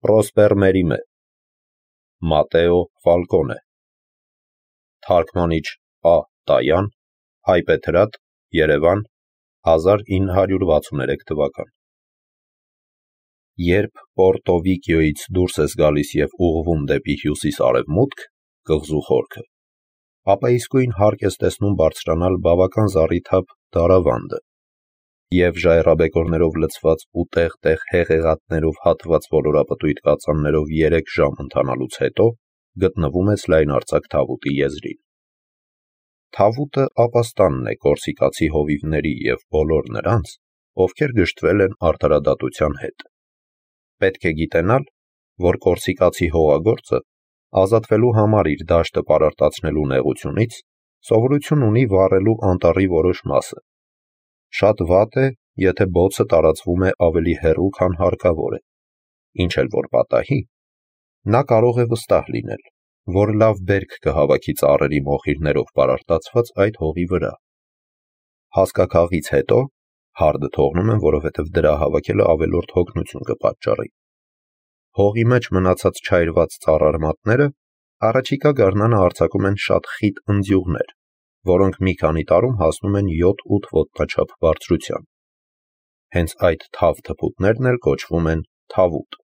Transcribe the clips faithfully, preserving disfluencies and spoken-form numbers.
Պրոսպեր Մերիմե, Մատեո Ֆալկոնե, Թարգմանիչ Ա. Տայան, Հայպեթրատ, Երևան, հազար ինը հարյուր վաթսուններեք թվական։ Երբ Պորտո Վիկիոյից դուրս ես գալիս և ուղղվում դեպի հյուսիս-արևմուտք, կղզու խորքը, ապա իսկույն հարկ ես տեսնում բարձրանալ բավական զառիթափ դարավանդը և ժայռաբեկորներով լցված ու տեղ-տեղ հեղեղատներով հատված ոլորապտույտ կածաններով երեք ժամ ընթանալուց հետո գտնվում ես լայնարձակ Թավուտի եզրին։ Թավուտը ապաստանն է կորսիկացի հովիվների և բոլոր նրանց, ովքեր գժտվել են արդարադատության հետ։ Պետք է գիտենալ, որ կորսիկացի հողագործը ազատվելու համար իր դաշտը պարարտացնելու նեղությունից սովորություն ունի վառելու անտառի որոշ մասը։ Շատ վատ է, եթե բոցը տարածվում է ավելի հեռու, քան հարկավոր է, ինչ էլ որ պատահի, նա կարող է վստահ լինել, որ լավ բերք կհավաքի ծառերի մոխիրներով պարարտացված այդ հողի վրա։ Հասկաքաղից հետո հարդը թողնում են, որովհետև դրա հավաքելը ավելորդ հոգնություն կպատճառի։ Հողի մեջ մնացած չայրված ծառարմատները առաջիկա գարնանը արձակում են շատ խիտ ընձյուղներ, որոնք մի քանի տարում հասնում են յոթ-ութ ոտնաչափ բարձրության։ Հենց այդ թավ թփուտներն էլ կոչվում են թավուտ։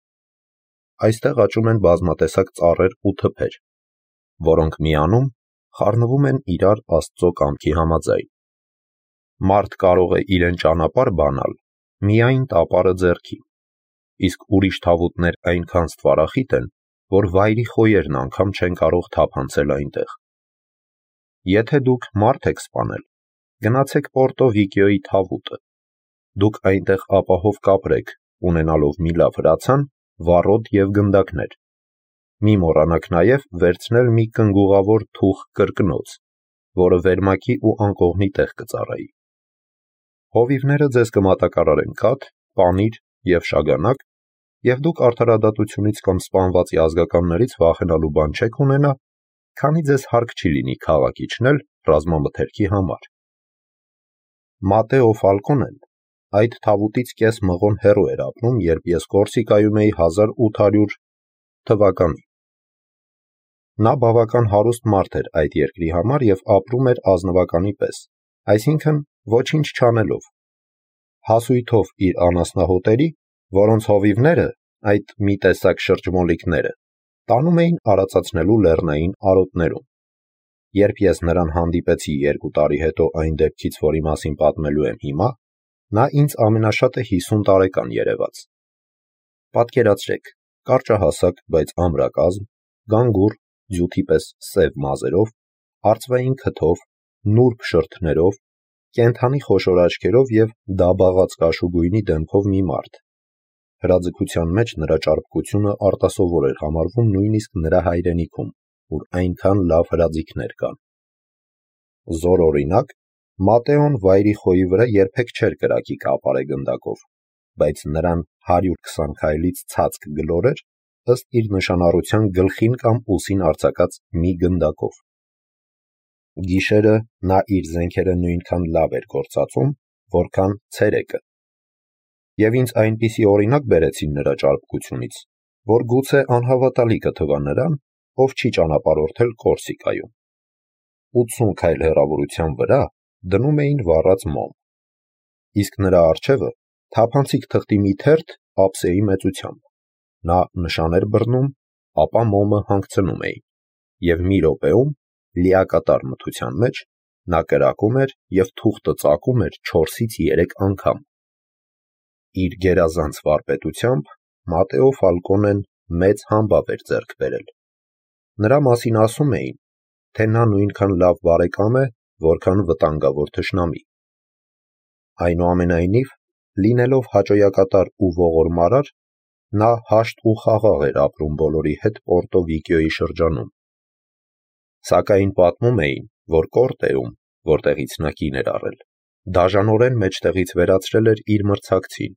Այստեղ աճում են բազմատեսակ ծառեր ու թփեր, որոնք միանում խառնվում են իրար Աստծո կամքի համաձայն։ Մարդ կարող է իրեն ճանապարհ բանալ միայն տապարը ձեռքին, իսկ ուրիշ թավուտներ այնքան ստվարախիտ են, որ վայրի խոյերն անգամ չեն կարող թափ անցել այնտեղ։ Եթե դուք մարդ եք սպանել, գնացեք Պորտո Վիկիոյի թավուտը։ Դուք այնտեղ ապահով կապրեք, ունենալով մի լավ հրացան, վառոդ և գնդակներ։ Մի մոռանաք նաև վերցնել մի կնգուղավոր թուխ կրկնոց, որը վերմակի ու անկողնի տեղ կծառայի։ Հովիվները ձեզ կմատակարարեն կաթ, պանիր և շագանակ, և դուք արդարադատությունից կամ սպանվածի ազգականներից վախենալու բան չեք ունենա, քանի ձեզ հարկ չի լինի քաղաք իջնել ռազմամթերքի համար։ Մատեո Ֆալկոնեն այդ թավուտից կես մղոն հեռու էր ապրում, երբ ես Կորսիկայում էի հազար ութ հարյուր թվականին։ Նա բավական հարուստ մարդ էր այդ երկրի համար և ապրում էր ազնվականի պես, այսինքն ոչինչ չանելով, հասույթով իր անասնահոտերի, որոնց հովիվները, այդ մի տեսակ շրջմոլիկները, տանում էին արածացնելու լեռնային արոտներում։ Երբ ես նրան հանդիպեցի երկու տարի հետո այն դեպքից, որի մասին պատմելու եմ հիմա, նա ինձ ամենաշատը հիսուն տարեկան երևաց։ Պատկերացրեք, կարճահասակ, բայց ամրակազմ, գանգուր, ձյութի պես սև մազերով, արծվային քթով, նուրբ շրթներով, կենդանի խոշոր աչքերով և դաբաղած կաշուգույնի դեմքով մի մարդ։ Հրաձգության մեջ նրա ճարպկությունը արտասովոր էր համարվում նույնիսկ նրա հայրենիքում, ուր այնքան լավ հրաձիգներ կան։ Զորօրինակ, Մատեոն վայրի խոյի վրա երբեք չէր կրակի կապարե գնդակով, բայց նրան հարյուր քսան քայլից ցածկ գլորեր, ըստ իր նշանառության գլխին կամ ուսին արձակած մի գնդակով։ Գիշերը նա իր զենքերը նույնքան լավ էր գործածում, որքան ցերեկը։ Եվ ինձ այնպիսի օրինակ բերեցին նրա ճարպկությունից, որ գուցե անհավատալի կթվա նրան, ով չի ճանապարհորդել Կորսիկայում։ ութսուն քայլ հեռավորության վրա դնում էին վառած մոմ, իսկ նրա առջևը թափանցիկ թղթի մի թերթ ափսեի մեծությամբ։ Նա նշան էր բռնում, ապա մոմը հանգցնում էին, և մի րոպեում, լիակատար մթության մեջ, նա կրակում էր և թուղթը ծակում էր չորսից երեք անգամ։ Իր գերազանց վարպետությամբ Մատեո Ֆալկոնեն մեծ համբավ էր ձեռք բերել։ Նրա մասին ասում էին, թե նա նույնքան լավ բարեկամ է, որքան վտանգավոր թշնամի։ Այնուամենայնիվ, լինելով հաճոյակատար ու ողորմարար, նա հաշտ ու խաղաղ էր ապրում բոլորի հետ Պորտո Վիկիոյի շրջանում։ Սակայն պատմում էին, որ Կորտեում, որտեղից նա կին էր առել, դաժանորեն մեջտեղից վերացրել էր իր մրցակցին,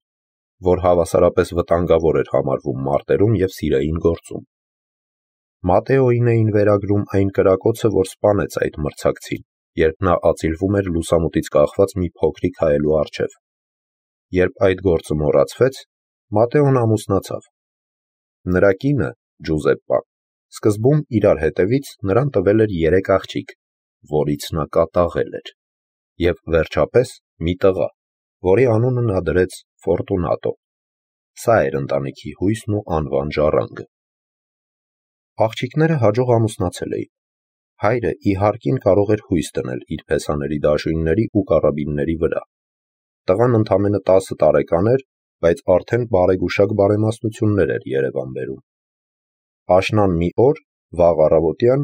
որ հավասարապես վտանգավոր էր համարվում մարտերում և սիրային գործում։ Մատեոին էին վերագրում այն կրակոցը, որ սպանեց այդ մրցակցին, երբ նա ածիլվում էր լուսամուտից կախված մի փոքրիկ հայելու առջև։ Երբ այդ գործը մոռացվեց, Մատեոն ամուսնացավ։ Նրա կինը, Ջուզեպպան, սկզբում իրար հետևից նրան տվել էր երեք աղջիկ, որից նա կատաղել էր, և վերջապես մի տղա, որի անունը նա դրեց Ֆորտունատո։ Սա էր ընտանիքի հույսն ու անվան ժառանգը։ Աղջիկները հաջող ամուսնացել էին։ Հայրը ի հարկին կարող էր հույս դնել իր փեսաների դաշույնների ու կարաբինների վրա։ Տղան ընդամենը տասը տարեկան էր, բայց արդեն բարեգուշակ բարեմաստություններ էր Երևան բերում։ Աշնան մի օր, վաղ առավոտյան,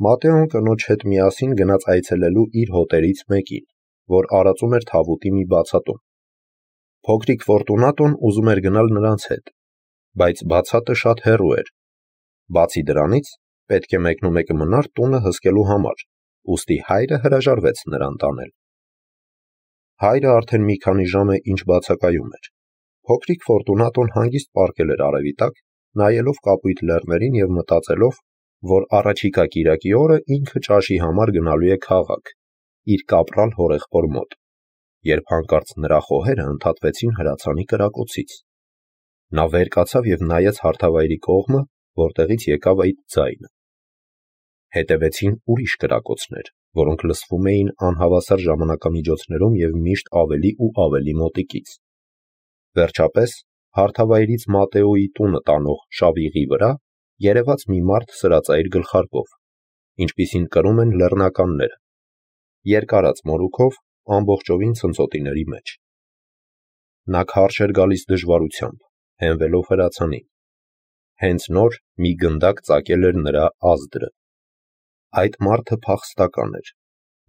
Մատեոն կնոջ հետ միասին գնաց այցելելու իր հոտերից մեկին, որ արածում էր թավուտի մի բացատում։ Փոքրիկ Ֆորտունատոն ուզում էր գնալ նրանց հետ, բայց բացատը շատ հեռու էր։ Բացի դրանից, պետք է մեկնումեկը մնար տունը հսկելու համար, ուստի հայրը հրաժարվեց նրան տանել։ Հայրը արդեն մի քանի ժամ է ինչ բացակայում էր։ Փոքրիկ Ֆորտունատոն հանգիստ պառկել էր արևի տակ, նայելով կապույտ լեռներին և մտածելով, որ առաջիկա կիրակի օրը ինքը ճաշի համար գնալու է քաղաք, իր կապրալ հորեղբոր մոտ, երբ հանկարծ նրա խոհերը ընդհատվեցին հրացանի կրակոցից։ Նա վեր կացավ և նայեց հարթավայրի կողմը, որտեղից եկավ այդ ձայնը։ Հետևեցին ուրիշ կրակոցներ, որոնք լսվում էին անհավասար ժամանակամիջոցներում և միշտ ավելի ու ավելի մոտիկից։ Վերջապես, հարթավայրից Մատեոյի տունը տանող շավիղի վրա երևաց մի մարդ սրածայր գլխարկով, ինչպիսին կրում են լեռնականները, երկարած մորուքով, ամբողջովին ցնցոտիների մեջ։ Նա քարշ էր գալիս դժվարությամբ, հենվելով հրացանին։ Հենց նոր մի գնդակ ծակել էր նրա ազդրը։ Այդ մարդը փախստական էր,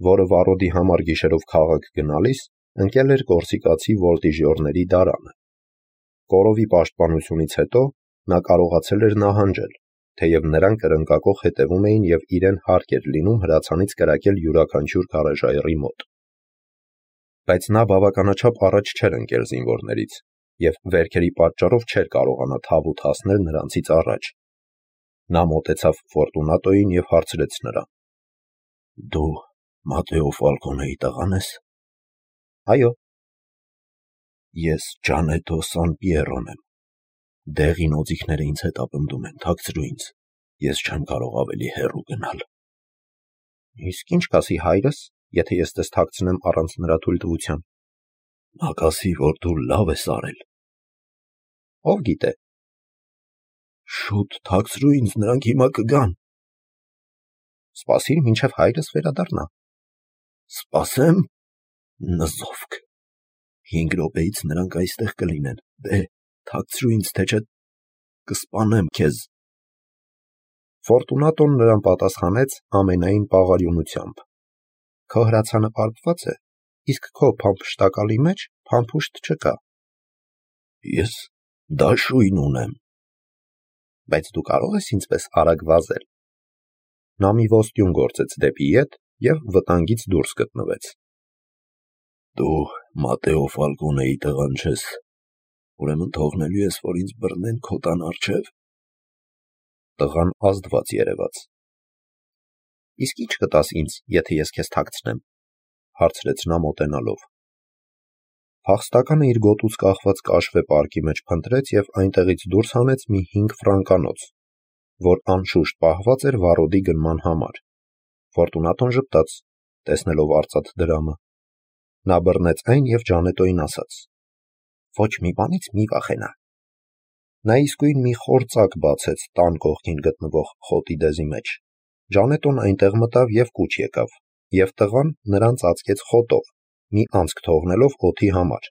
որը վառոդի համար գիշերով քաղաք գնալիս ընկել էր կորսիկացի վոլտիժյորների դարանը։ Կորովի պաշտպանությունից հետո նա կարողացել էր նահանջել, թեև նրանք կրնկակոխ հետևում էին և իրեն հարկ էր լինում հրացանից կրակել յուրաքանչյուր քարաժայռի մոտ։ Բայց նա բավականաչափ առաջ չէր ընկել զինվորներից և վերքերի պատճառով չէր կարողանա թավուտ հասնել նրանցից առաջ։ Նա մոտեցավ Ֆորտունատոյին և հարցրեց նրան. «Դու Մատեո Ֆալկոնեի տղա՞ն ես»։ «Այո»։ «Ես Ջանետո Սանպիերոն եմ։ Դեղին օձիքները ինձ հետապնդում են, թաքցրու ինձ, ես չեմ կարող ավելի հեռու գնալ»։ «Իսկ ի՞նչ կասի հայրս, եթե ես ձեզ թաքցնեմ առանց նրա թույլտվության»։ «Նա կասի, որ դու լավ ես արել»։ «Ով գիտե»։ «Շուտ թաքցրու ինձ, նրանք հիմա կգան»։ «Սպասիր, մինչև հայրս վերադառնա»։ «Սպասեմ»։ Նզովք։ Հինգ րոպեից նրանք այստեղ կլինեն, դե, թաքցրու ինձ, թե չէ կսպանեմ քեզ։ Ֆորտունատոն նրան պատասխանեց ամենայն պաղարյունությամբ. «Քո հրացանը պարփված է, իսկ քո փամփշտակալի մեջ փամփուշտ չկա»։ «Ես դաշույն ունեմ»։ «Բայց դու կարող ես ինձպես արագ վազել»։ Նա մի ոստյուն գործեց դեպի ետ և վտանգից դուրս գտնվեց։ «Դու Մատեո Ֆալկոնեի տղան չես, ուրեմն թողնելու ես, որ ինձ բռնեն քո տան առջև»։ Տղան ազդված երևաց։ «Իսկ ի՞նչ կտաս ինձ, եթե ես քեզ թաքցնեմ»։ Հարցրեց նա մոտենալով։ Փախստականը իր գոտուց կախված կաշվե պարկի մեջ փնտրեց և այնտեղից դուրս հանեց մի հինգ ֆրանկանոց, որ անշուշտ պահված էր վառոդի գնման համար։ Ֆորտունատոն ժպտաց, տեսնելով արծաթ դրամը։ Նա բռնեց այն և Ջանետոյին ասաց. «Ոչ մի բանից մի վախենա»։ Նա իսկույն մի խոր ծակ բացեց տան կողքին գտնվող խոտի դեզի մեջ։ Ջանետոն այնտեղ մտավ և կուչ եկավ, և տղան նրան ծածկեց խոտով, մի անցք թողնելով օդի համար,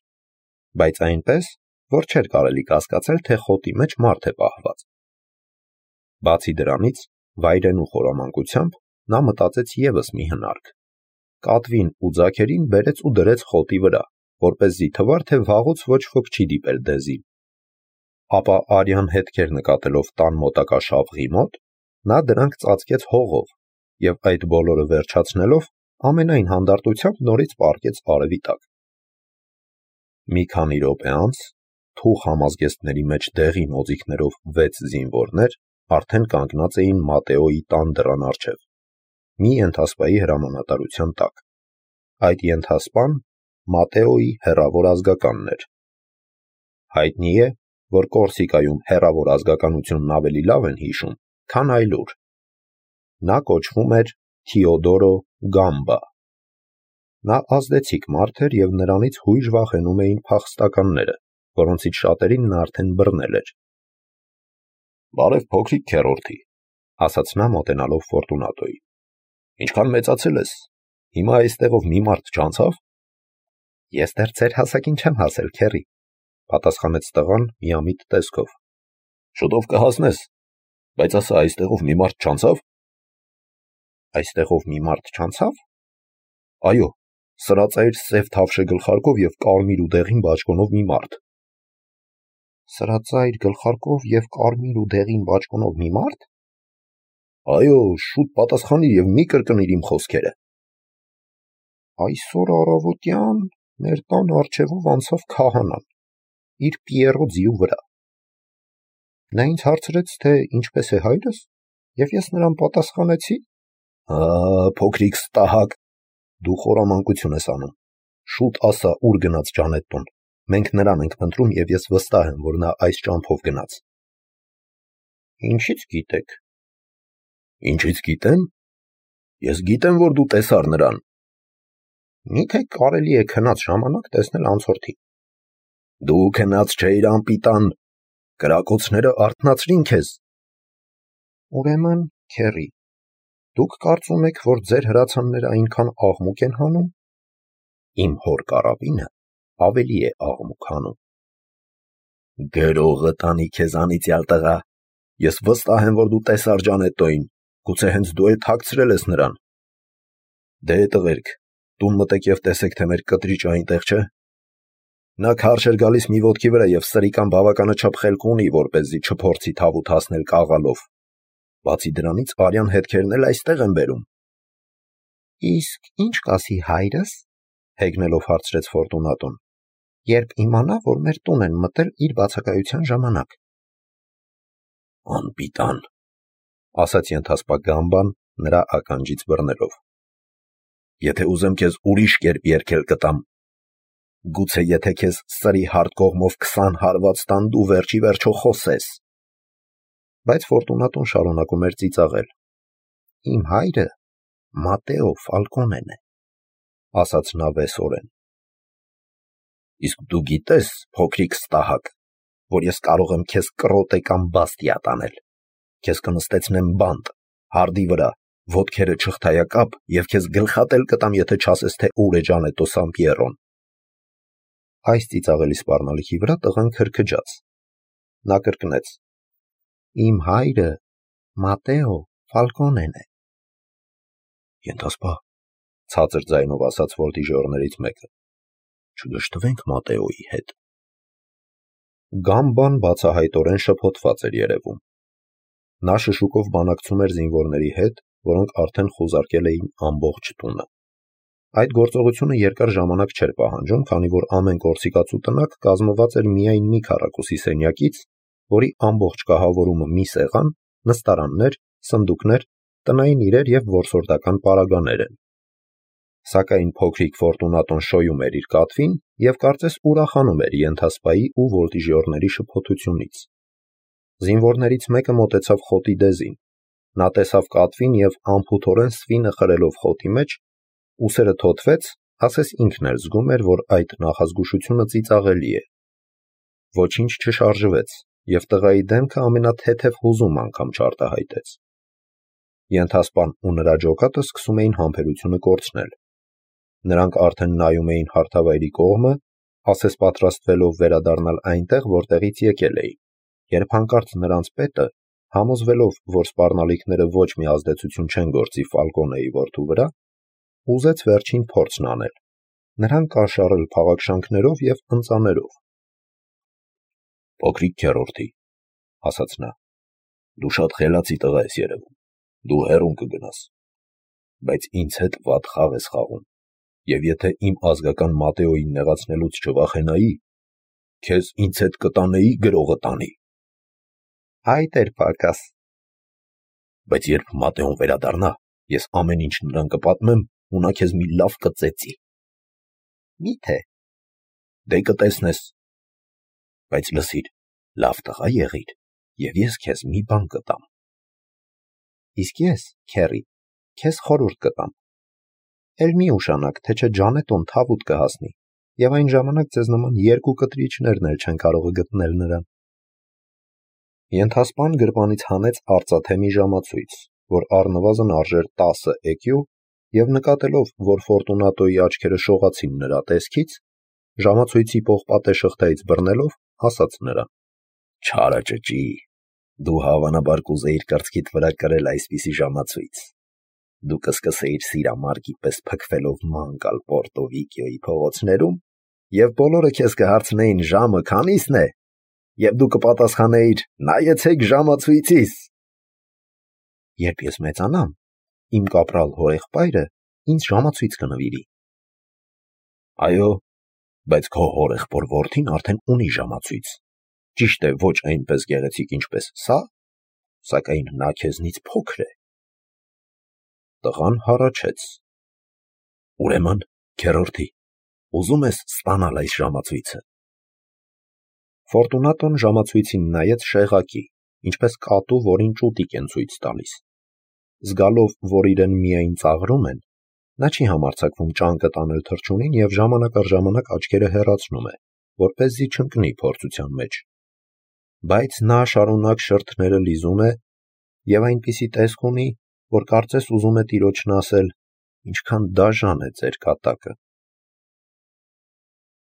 բայց այնպես, որ չէր կարելի կասկածել, թե խոտի մեջ մարդ է պահված։ Բացի դրանից, վայրենու խորամանկությամբ նա մտածեց ևս մի հնարք։ Կատվին ու ձագերին բերեց ու դրեց խոտի վրա, որպեսզի թվար, թե վաղուց ոչ ոք չի դիպել դեզին։ Ապա արյան հետքեր նկատելով տան մոտակա շավղի մոտ, նա դրանք ծածկեց հողով և այդ բոլորը վերջացնելով, ամենայն հանդարտությամբ նորից պառկեց արևի տակ։ Մի քանի րոպե անց թուխ համազգեստների մեջ դեղին օձիքներով վեց զինվորներ արդեն կանգնած էին Մատեոյի տան դռան առջև, մի ենթասպայի հրամանատարության տակ։ Այդ ենթասպան Մատեոյի հեռավոր ազգականն էր։ Հայտնի է, որ Կորսիկայում հեռավոր ազգականությունն ավելի լավ են հիշում, քան այլուր։ Նա կոչվում էր Թիոդորո Գամբա։ Նա ազդեցիկ մարդ էր և նրանից հույժ վախենում էին փախստականները, որոնցից շատերին նա արդեն բռնել էր։ «Բարև փոքրիկ քեռորդի», ասաց նա մոտենալով Ֆորտունատոյին։ «Ինչքան մեծացել ես, հիմա այստեղով մի մարդ չանցավ»։ «Ես դեռ ձեր հասակին չեմ հասել, քեռի», պատասխանեց տղան միամիտ տեսքով։ «Շուտով կհասնես, բայց ասա, այստեղով մի մարդ չանցավ»։ «Այստեղով մի մարդ չանցավ»։ «Այո, սրածայր սև թավշե գլխարկով և կարմիր ու դեղին բաճկոնով մի մարդ»։ «Սրածայր գլխարկով և կարմիր ու դեղին բաճկոնով մի մարդ»։ «Այո, շուտ պատասխանիր և մի կրկնիր իմ խոսքերը»։ «Այսօր առավոտյան մեր տան առջևով անցավ քահանան, իր Պիերո ձիու վրա։ Նա ինձ հարցրեց, թե ինչպես է հայրս, և ես նրան պատասխանեցի. «Ա, փոքրիկ ստահակ, դու խորամանկություն ես անում, շուտ ասա, ուր գնաց Ջանետտոն, մենք նրան ենք փնտրում և ես վստահ եմ, որ նա այս ճամփով գնաց»։ «Ինչից գիտեք»։ «Ինչից գիտեմ։ Ես գիտեմ, որ դու տեսար նրան»։ «Միթե կարելի է քնած ժամանակ տեսնել անցորդին»։ «Դու քնած չէիր, անպիտան, կրակոցները արթնացրին քեզ»։ «Ուրեմն, քեռի, դուք կարծում եք, որ ձեր հրացանները այնքան աղմուկ են հանում»։ «Իմ հոր կարաբինը ավելի է աղմուկ հանում»։ «Գրողը տանի քեզ անիծյալ տղա, ես վստահ եմ, որ դու տեսար Ջանետտոյին, գուցե հենց դու էլ թաքցրել ես նրան»։ «Դե տղերք, տուն մտեք և տեսեք, թե մեր կտրիճը այնտեղ չէ»։ «Նա քարշ էր գալիս մի ոտքի վրա և սրիկան բավականաչափ խելք ունի, որպեսզի չփորձի թավուտ հասնել կաղալով։ Բացի դրանից, արյան հետքերն էլ այստեղ են բերում»։ «Իսկ ի՞նչ կասի հայրս», հեգնելով հարցրեց Ֆորտունատոն, «երբ իմանա, որ մեր տուն են մտել իր բացակայության ժամանակ»։ «Անպիտան», ասաց ենթասպա Գամբան նրա ականջից բռնելով։ «Եթե ուզեմ քեզ ուրիշ կերպ երգել կտամ։ Գուցե եթե քեզ սրի հարթ կողմով քսան հարված տան, դու վերջ ի վերջո խոսես»։ Բայց Ֆորտունատոն շարունակում էր ծիծաղել։ «Իմ հայրը Մատեո Ֆալկոնեն է», ասաց նա վեսորեն։ «Իսկ դու գիտես, փոքրիկ ստահակ, որ ես կարող եմ քեզ կռոտե կամ բաստիա տանել։ Քեզ կնստեցնեմ բանտ, հարդի վրա, ոտքերը չխթայակապ և քեզ գլխատել կտամ, եթե չասես, թե ուր է Ջանետտո Սամպիերոն»։ Այս ծիծաղելի սպառնալիքի վրա տղան քրքջաց։ Նա կրկնեց. «Իմ հայրը Մատեո Ֆալկոնեն է»։ «Ենթասպա», ցածր ձայնով ասաց որտիժորներից մեկը, «չգժտվենք Մատեոյի հետ»։ Գամբան բացահայտորեն շփոթված էր երևում։ Նա շշուկով բանակցում էր զինվորների հետ, որոնք արդեն խուզարկել էին ամբողջ տունը։ Այդ գործողությունը երկար ժամանակ չէր պահանջում, քանի որ ամեն կորսիկացու տնակ կազմված էր միայն մի քառակուսի սենյակից, որի ամբողջ կահավորումը մի սեղան, նստարաններ, սնդուկներ, տնային իրեր և որսորդական պարագաներ են։ Սակայն փոքրիկ Ֆորտունատոն շոյում էր իր կատվին և կարծես ուրախանում էր ենթասպայի ու որտիժյորների շփոթությունից։ Զինվորներից մեկը մոտեցավ խոտի դեզին։ Նա տեսավ կատվին և անփութորեն սվինը խրելով խոտի մեջ, ուսերը թոթվեց, ասես ինքն էլ զգում էր, որ այդ նախազգուշությունը ծիծաղելի է։ Ոչինչ չշարժվեց, և տղայի դեմքը ամենաթեթև հուզում անգամ չարտահայտեց։ Ենթասպան ու նրա ջոկատը սկսում էին համբերությունը կորցնել։ Նրանք արդեն նայում էին հարթավայրի կողմը, ասես պատրաստվելով վերադառնալ այնտեղ, որտեղից եկել էին, երբ հանկարծ նրանց պետը, համոզվելով, որ սպառնալիքները ոչ մի ազդեցություն չեն գործի Ֆալկոնեի որդու վրա, ուզեց վերջին փորձն անել, նրան կաշառել փաղաքշանքներով և ընծաներով։ «Փոքրիկ քեռորդի», ասաց նա, «դու շատ խելացի տղա ես երևում, դու հեռուն կգնաս, բայց ինձ հետ վատ խաղ ես խաղում, և եթե իմ ազգական Մատեոյին նեղացնելուց չվախենայի, քեզ ինձ հետ կտանեի գրողը տանի»։ «Այդ էր պակաս»։ «Բայց երբ Մատեոն վերադառնա, ես ամեն ինչ նրան կպատմեմ, ու նա քեզ մի լավ կծեծի»։ «Մի՞թե»։ «Դե կտեսնես։ Բայց լսիր, Լավ տղա եղիր, և ես քեզ մի բան կտամ։ Իսկ ես, քեռի, քեզ խորհուրդ կտամ։ Էլ մի ուշանաք, թե չէ Ջանետոն թավուտ կհասնի, և այն ժամանակ ձեզ նման երկու կտրիչներն էլ չեն կարող գտնել նրան։ Ենթասպան գրպանից հանեց արծաթե մի ժամացույց, որ առնվազն արժեր տասը էկյու, և նկատելով, որ Ֆորտունատոյի աչքերը շողացին նրա տեսքից, ժամացույցի պողպատե շղթայից բռնելով, ասաց նրան. «Չարը ճճի, դու հավանաբար կուզեիր կրծքիդ վրա կրել այսպիսի ժամացույց։ Դու կսկսեիր սիրամարգի պես փքվելով ման գալ Պորտո Վիկիոյի փողոցներում, և բոլորը քեզ կհարցնեին ժամը քանի՞սն է, և դու կպատասխանեիր. նայեցեք ժամացույցիս։ Երբ ես մեծանամ, իմ կապրալ հորեղբայրը ինձ ժամացույց կնվիրի։ Այո, բայց քո հորեղբոր որդին արդեն ունի ժամացույց, ճիշտ է, ոչ այնպես գեղեցիկ, ինչպես սա, սակայն նա քեզնից փոքր է։ Տղան հառաչեց. Ուրեմն, քեռորդի, ուզում ես ստանալ այս ժամացույցը։ Ֆորտունատոն ժամացույցին նայեց շեղակի, ինչպես կատու, որին ճուտիկ են ցույց տալիս։ Զգալով, որ իրեն միայն ծաղրում են, նա չի համարձակվում ճանկը տանել թռչունին և ժամանակ առ ժամանակ աչքերը հեռացնում է, որպեսզի չընկնի փորձության մեջ։ Բայց նա շարունակ շրթները լիզում է և այնպիսի տեսք ունի, որ կարծես ուզում է տիրոջն ասել. ինչքան դաժան է ձեր կատակը։